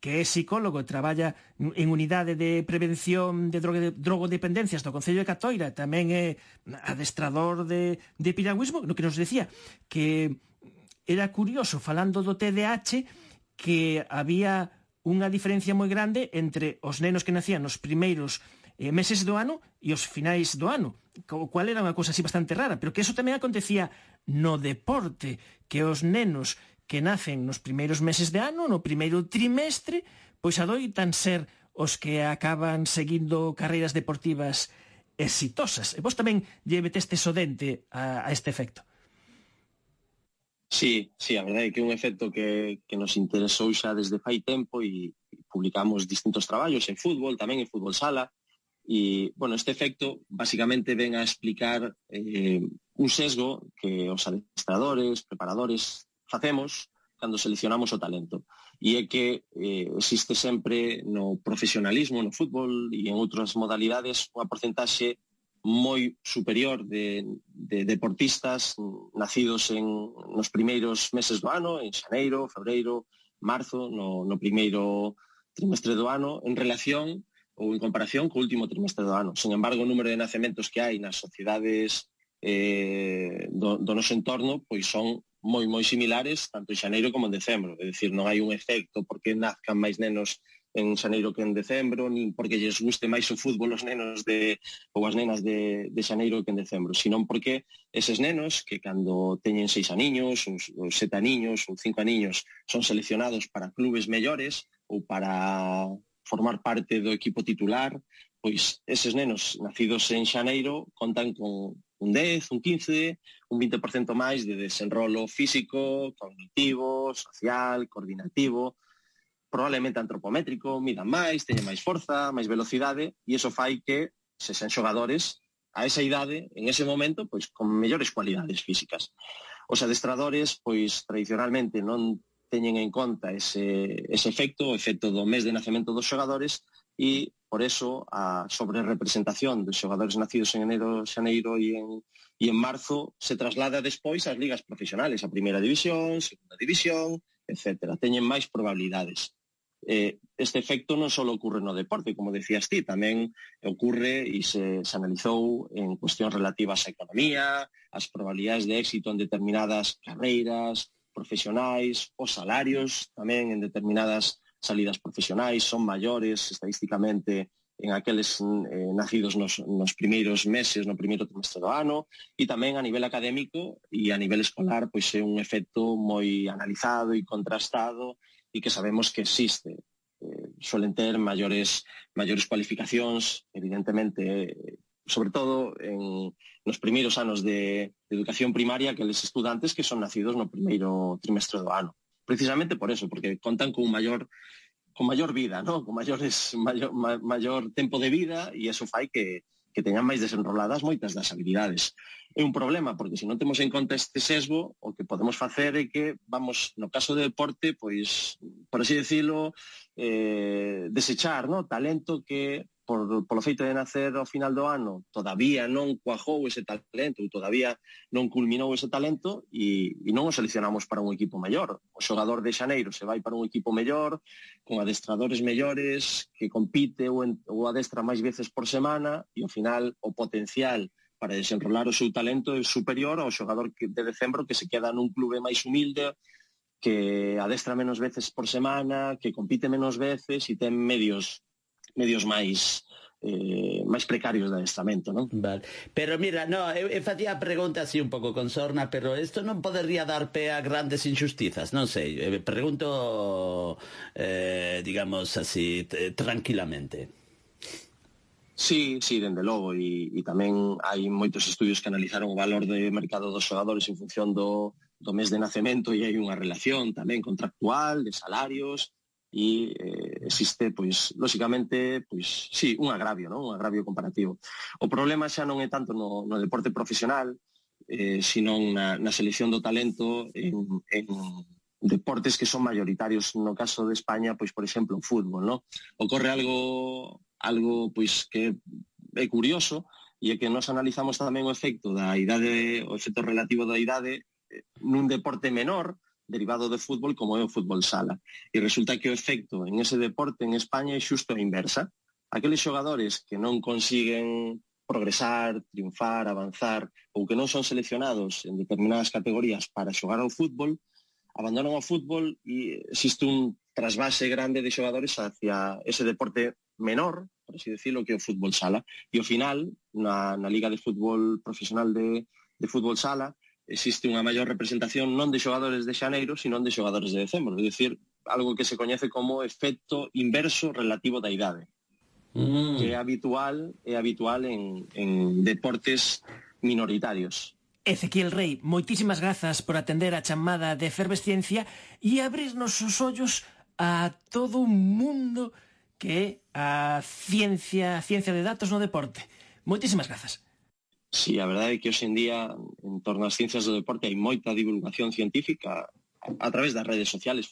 que é psicólogo e traballa en unidade de prevención de drogodependencias do Concello de Catoira, tamén é adestrador de piragüismo, no que nos decía que era curioso, falando do TDAH, que había unha diferencia moi grande entre os nenos que nacían nos primeiros meses do ano e os finais do ano, o cual era unha cousa así bastante rara, pero que eso tamén acontecía no deporte, que os nenos que nacen nos primeiros meses de ano, no primeiro trimestre, pois adoitan ser os que acaban seguindo carreiras deportivas exitosas. E vos tamén lle metestes o dente a este efecto. Sí, a verdade é que é un efecto que nos interesou xa desde fai tempo e publicamos distintos traballos en fútbol, tamén en fútbol sala, e, bueno, este efecto basicamente ven a explicar un sesgo que os adestradores, preparadores, facemos cando seleccionamos o talento. e é que existe sempre no profesionalismo, no fútbol e en outras modalidades unha porcentaxe moi superior de deportistas nacidos nos primeiros meses do ano, en xaneiro, febreiro, marzo, no primeiro trimestre do ano, en relación ou en comparación co último trimestre do ano. Sin embargo, o número de nacementos que hai nas sociedades do noso entorno pois son moi similares tanto en xaneiro como en decembro. É dicir, non hai un efecto porque nazcan máis nenos en xaneiro que en decembro, nin porque lles guste máis o fútbol os nenos ou as nenas de xaneiro que en decembro, sino porque eses nenos que cando teñen 6 aniños, ou 7 aniños, ou 5 aniños, son seleccionados para clubes mellores ou para formar parte do equipo titular, pois eses nenos nacidos en xaneiro contan con un 10, un 15, un 20% máis de desenrolo físico, cognitivo, social, coordinativo, probablemente antropométrico, midan máis, teñen máis forza, máis velocidade, e iso fai que se sean xogadores a esa idade, en ese momento, pois con mellores cualidades físicas. Os adestradores, pois tradicionalmente non teñen en conta ese efecto, o efecto do mes de nacemento dos xogadores, e por eso a sobrerepresentación dos xogadores nacidos en enero, xaneiro e en marzo se traslada despois ás ligas profesionales, a primeira división, segunda división, etc. Teñen máis probabilidades. Este efecto non só ocorre no deporte, como decías ti, tamén ocorre e se analizou en cuestións relativas á economía, as probabilidades de éxito en determinadas carreiras profesionais, os salarios tamén en determinadas salidas profesionais son maiores estadísticamente en aqueles nacidos nos primeiros meses, no primeiro trimestre do ano, e tamén a nivel académico e a nivel escolar pois é un efecto moi analizado e contrastado e que sabemos que existe. Suelen ter maiores cualificacións, evidentemente, sobre todo nos primeiros anos de educación primaria, aqueles estudantes que son nacidos no primeiro trimestre do ano. Precisamente por eso, porque contan con maior vida, ¿no? Con maior tempo de vida, e eso fai que teñan máis desenroladas moitas das habilidades. É un problema, porque se non temos en conta este sesgo, o que podemos facer é que vamos, no caso de deporte, pois, por así decirlo, desechar, ¿no? Talento que polo feito de nacer ao final do ano todavía non cuajou ese talento ou todavía non culminou ese talento e non o seleccionamos para un equipo mellor. O xogador de xaneiro se vai para un equipo mellor, con adestradores mellores, que compite ou adestra máis veces por semana e ao final o potencial para desenrolar o seu talento é superior ao xogador de decembro que se queda nun clube máis humilde, que adestra menos veces por semana, que compite menos veces e ten medios máis precarios de adestramento, non? Vale. Pero mira, eu facía a pregunta así un pouco con sorna, pero isto non podería dar pé a grandes injustizas, non sei, pregunto, digamos así, tranquilamente. Sí, dende logo, e tamén hai moitos estudios que analizaron o valor de mercado dos xogadores en función do mes de nacemento, e hai unha relación tamén contractual de salarios, e existe, pois, lóxicamente, pois, sí, un agravio, non? Un agravio comparativo. O problema xa non é tanto no deporte profesional, sino na selección do talento en deportes que son mayoritarios. No caso de España, pois, por exemplo, o fútbol, non? Ocorre algo pois que é curioso, e é que nós analizamos tamén o efecto da idade, o efecto relativo da idade nun deporte menor, derivado do fútbol, como é o fútbol sala. E resulta que o efecto en ese deporte en España é xusto a inversa. Aqueles xogadores que non consiguen progresar, triunfar, avanzar, ou que non son seleccionados en determinadas categorías para xogar ao fútbol, abandonan o fútbol e existe un trasvase grande de xogadores hacia ese deporte menor, por así decirlo, que é o fútbol sala. E ao final, na Liga de Fútbol Profesional de Fútbol Sala, existe unha maior representación non de xogadores de xaneiro, sino de xogadores de decembro, é dicir, algo que se coñece como efecto inverso relativo da idade, que é habitual en deportes minoritarios. Ezequiel Rei, moitísimas grazas por atender a chamada de Efervesciencia e abrirnos os ollos a todo un mundo que é a ciencia de datos no deporte. Moitísimas grazas. Sí, a verdade é que hoxe en día en torno ás ciencias do deporte hai moita divulgación científica a través das redes sociales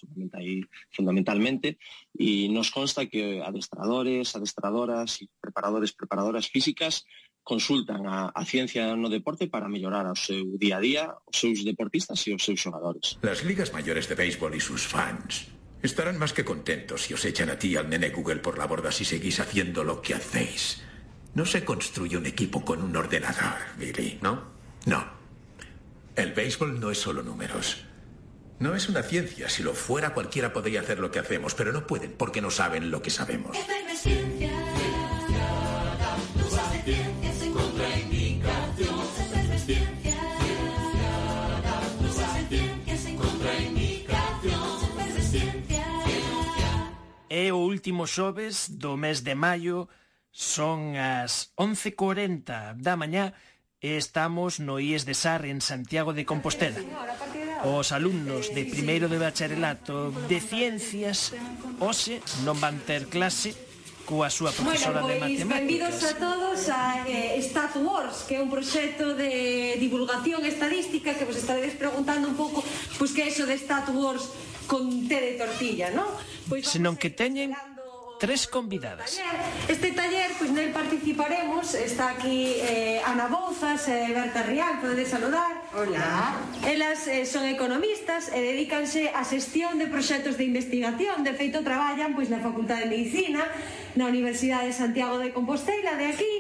fundamentalmente, y nos consta que adestradores, adestradoras e preparadoras físicas consultan a ciencia no deporte para mellorar o seu día a día, os seus deportistas e os seus xogadores. Las ligas mayores de béisbol y sus fans estarán más que contentos si os echan a ti y al nene Google por la borda si seguís haciendo lo que hacéis. No se construye un equipo con un ordenador, Billy, ¿no? No. El béisbol no es solo números. No es una ciencia. Si lo fuera, cualquiera podría hacer lo que hacemos, pero no pueden porque no saben lo que sabemos. É o último xoves do mes de maio, son as 11:40 da mañá e estamos no IES de Sar en Santiago de Compostela. Os alumnos de primeiro de bacharelato de Ciencias hoxe non van ter clase coa súa profesora de matemáticas. Benvidos a todos a Stat Wars, que é un proxecto de divulgación estadística que vos estaredes preguntando un pouco pois que é iso de Stat Wars con té de tortilla, non? Senón que teñen tres convidadas. Este taller, pois nel participaremos, está aquí Ana Bouzas e Berta Rial, podedes saludar. Hola. Elas son economistas e dedícanse á xestión de proxectos de investigación, de feito traballan pois na Facultade de Medicina, na Universidade de Santiago de Compostela, de aquí,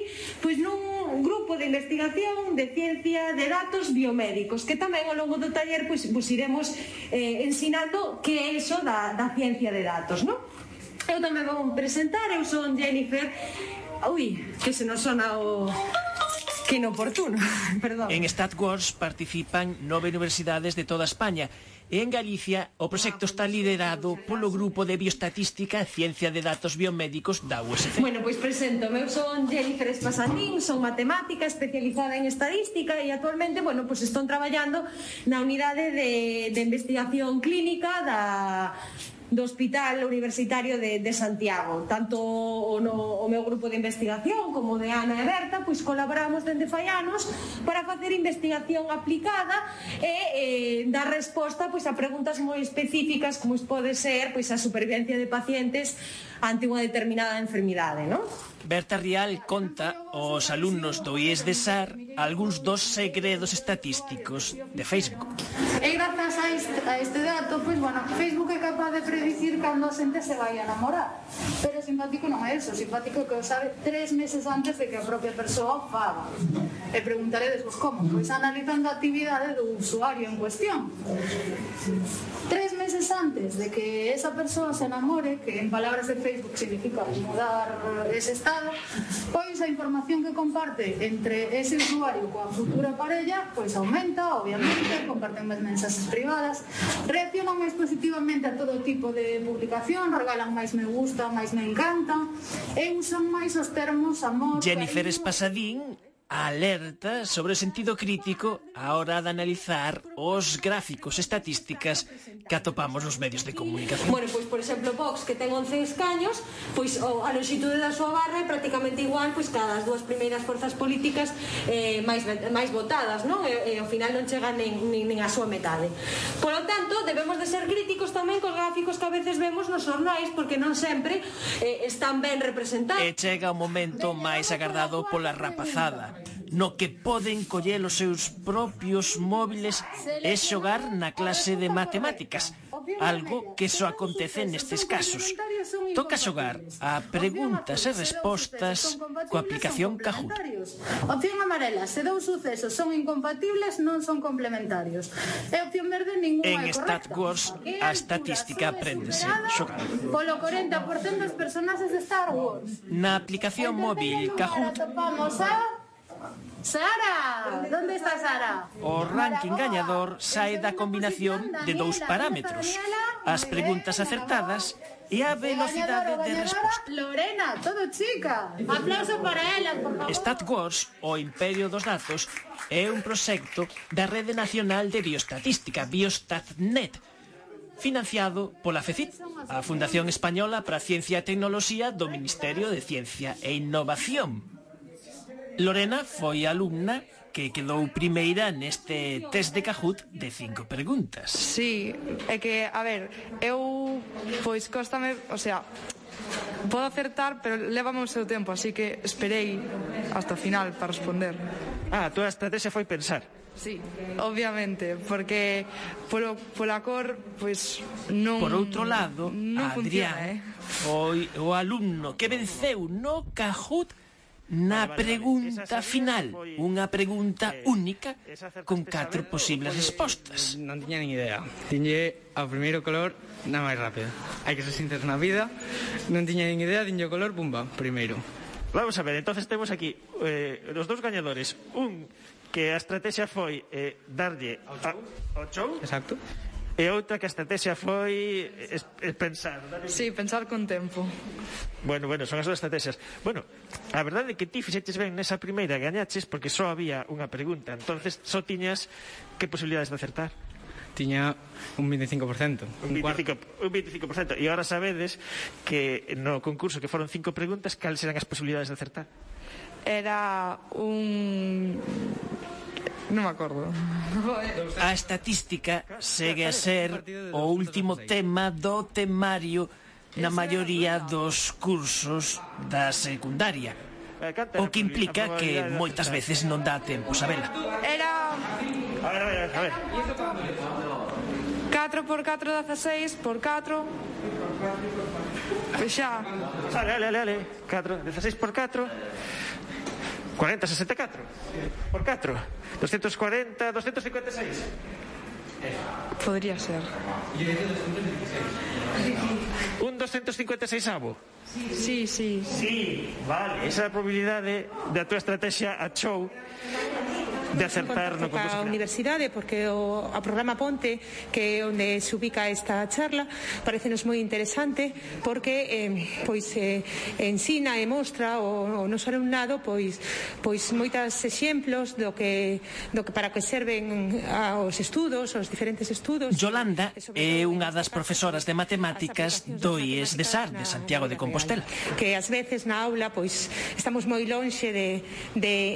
pois nun grupo de investigación de ciencia de datos biomédicos, que tamén ao longo do taller pois iremos ensinando que é iso da ciencia de datos, non? Eu tamén vou presentar, eu son Jennifer. Ui, que se nos sona o... que inoportuno, perdón. En Stat Wars participan 9 universidades de toda España e en Galicia o proxecto está liderado polo Grupo de Bioestatística e Ciencia de Datos Biomédicos da USC. Bueno, pois presento, eu son Jennifer Espasanín, son matemática especializada en estadística e actualmente, bueno, pois estou traballando na unidade de investigación clínica do Hospital Universitario de Santiago. Tanto o meu grupo de investigación como de Ana e Berta pois colaboramos dende fai anos para facer investigación aplicada e dar resposta pois a preguntas moi específicas como pode ser pois a supervivencia de pacientes ante unha determinada enfermidade, non? Berta Rial conta aos alumnos do IES de Sar algúns dos segredos estatísticos de Facebook. E grazas a este dato, pois, bueno, Facebook é capaz de predicir cando a xente se vai a namorar. Pero simpático non é eso, simpático que o sabe 3 meses antes de que a propia persoa o faga. E preguntaredes, pois, como? Pois analizando a actividade do usuario en cuestión. 3 meses antes de que esa persoa se enamore, que en palabras de Facebook significa mudar ese estado, pois a información que comparte entre ese usuario coa futura parella pois aumenta, obviamente, comparten máis mensaxes privadas, reaccionan máis positivamente a todo tipo de publicación, regalan máis me gusta, máis me encanta e usan máis os termos amor. Jennifer Espasadín alerta sobre o sentido crítico a hora de analizar os gráficos estatísticas que atopamos nos medios de comunicación. Bueno, pois, por exemplo, Vox, que ten 11 escaños, pois a longitude da súa barra é prácticamente igual pois cada as dúas primeiras forzas políticas máis votadas, non? E ao final non chega nin a súa metade. Por lo tanto, debemos de ser críticos tamén cos gráficos que a veces vemos nos xornais, porque non sempre están ben representados. E chega o momento máis agardado pola rapazada, no que poden coller os seus propios móviles e xogar na clase de matemáticas, algo que só acontece nestes casos. Toca xogar a preguntas e respostas coa aplicación Kahoot. Opción amarela, se dous sucesos son incompatibles, non son complementarios. E opción verde, ninguna é correcta. En Stat Wars, a estatística apréndese xogando. Polo 40% dos personaxes de Star Wars. Na aplicación móvil Kahoot, topamos a... Sara! ¿Dónde está Sara? O ranking gañador sae da combinación de dous parámetros: as preguntas acertadas e a velocidade de resposta. Lorena, todo chica. Aplauso para ela, por favor. Stat Wars, o Imperio dos Datos, é un proxecto da Rede Nacional de Bioestatística, Biostatnet, financiado pola FECIT, a Fundación Española para a Ciencia e Tecnoloxía do Ministerio de Ciencia e Innovación. Lorena foi alumna que quedou primeira neste test de Kahoot de 5 preguntas. Sí, é que, a ver, eu, pois, cóstame, o sea, podo acertar, pero lévame o seu tempo, así que esperei hasta o final para responder. A túa estrategia foi pensar. Sí, obviamente, porque pola cor, pois, non... Por outro lado, non Adrián funciona, foi o alumno que venceu no Kahoot na pregunta final, unha pregunta única con 4 posibles respostas. Non tiña nin idea. Tiñe ao primeiro color na máis rápida. Hai que ser sinceros na vida. Non tiña nin idea, tiñe o color, pumba, primeiro. Vamos a ver, entonces temos aquí os dous gañadores. Un que a estrategia foi darlle ao show. Exacto. E outra que a estrategia foi pensar. Sí, pensar con tempo. Bueno, son as dúas estrategias. Bueno, a verdade é que ti fixeches ben nesa primeira gañaches porque só había unha pregunta. Entonces só tiñas que posibilidades de acertar? Tiña un 25%. Un 25%. E agora sabedes que no concurso que foron 5 preguntas, cales eran as posibilidades de acertar? Era un... non me acordo. A estatística segue a ser o último tema do temario na maioría dos cursos da secundaria, o que implica que moitas veces non dá tempo sabela. Era... A ver. 4 por 4, 16 por 4. Pois xa. Ale. 4, 16 por 4. 40, 64. Por 4. 240, 256. Podría ser. Un 256avo. Sí. Sí, vale. Esa é a probabilidade da túa estrategia a show de acertar no concurso a universidade, porque o programa Ponte, que é onde se ubica esta charla, parecenos moi interesante porque ensina e mostra o noso alumnado pois moitos exemplos do que para que serven aos estudos, aos diferentes estudos. Yolanda é unha das profesoras de matemáticas do IES de SAR, de Santiago de Compostela. Que ás veces na aula pois estamos moi lonxe de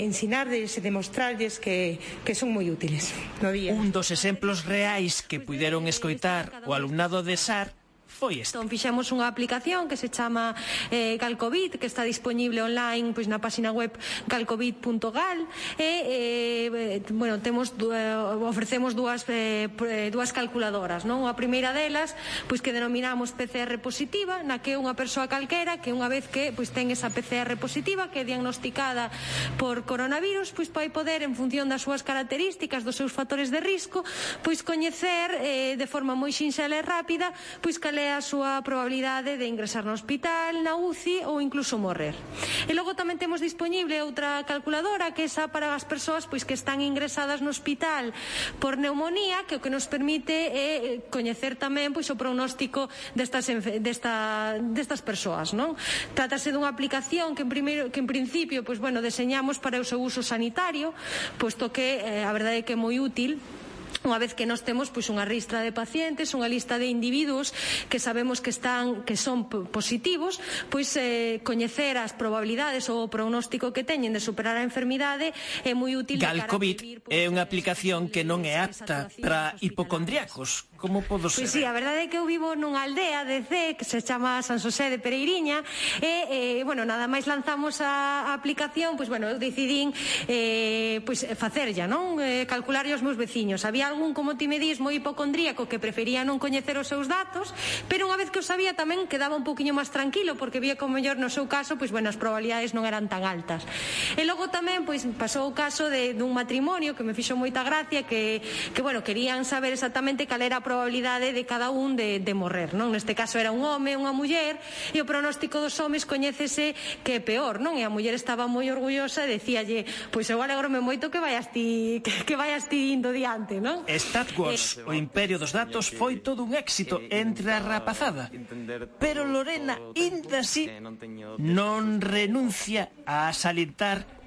ensinarles e de mostrarles que son moi útiles no día. Un dos exemplos reais que puideron escoitar o alumnado de SAR foi este. Entón fixemos unha aplicación que se chama Calcovit, que está disponible online pois na página web calcovit.gal e ofrecemos dúas calculadoras, non? A primeira delas pois que denominamos PCR positiva, na que unha persoa calquera que unha vez que pois ten esa PCR positiva que é diagnosticada por coronavirus, pois vai poder en función das súas características, dos seus factores de risco, pois coñecer de forma moi sinxela e rápida pois cal é a súa probabilidade de ingresar no hospital, na UCI ou incluso morrer. E logo tamén temos disponible outra calculadora que é esa para as persoas pois que están ingresadas no hospital por neumonía, que o que nos permite é coñecer tamén pois o pronóstico destas persoas, non? Trátase dunha aplicación que en principio deseñamos para o seu uso sanitario, posto que a verdade é que é moi útil unha vez que nós temos pois unha ristra de pacientes, unha lista de individuos que sabemos que son positivos, pois coñecer as probabilidades ou o pronóstico que teñen de superar a enfermidade é moi útil. Calcovit é unha aplicación que non é apta para hipocondríacos. Como podo ser? Pois sí, a verdade é que eu vivo nunha aldea de C que se chama San Xosé de Pereiriña e, nada máis lanzamos a aplicación, eu decidín facerlla, non? Calcular os meus veciños. Había algún, como ti me dis, moi hipocondríaco que prefería non coñecer os seus datos, pero unha vez que os sabía tamén quedaba un poquinho máis tranquilo porque vía como mellor no seu caso, as probabilidades non eran tan altas. E logo tamén, pasou o caso dun matrimonio que me fixo moita gracia que querían saber exactamente cal era a probabilidade de cada un de morrer, non? Neste caso era un home, unha muller, e o pronóstico dos homes coñécese que é peor, non? E a muller estaba moi orgullosa e decíalle, eu alegrome moito que vayas ti indo diante, non? Star Wars, o imperio dos datos, foi todo un éxito entre a rapazada, pero Lorena, inda así, non renuncia a salientar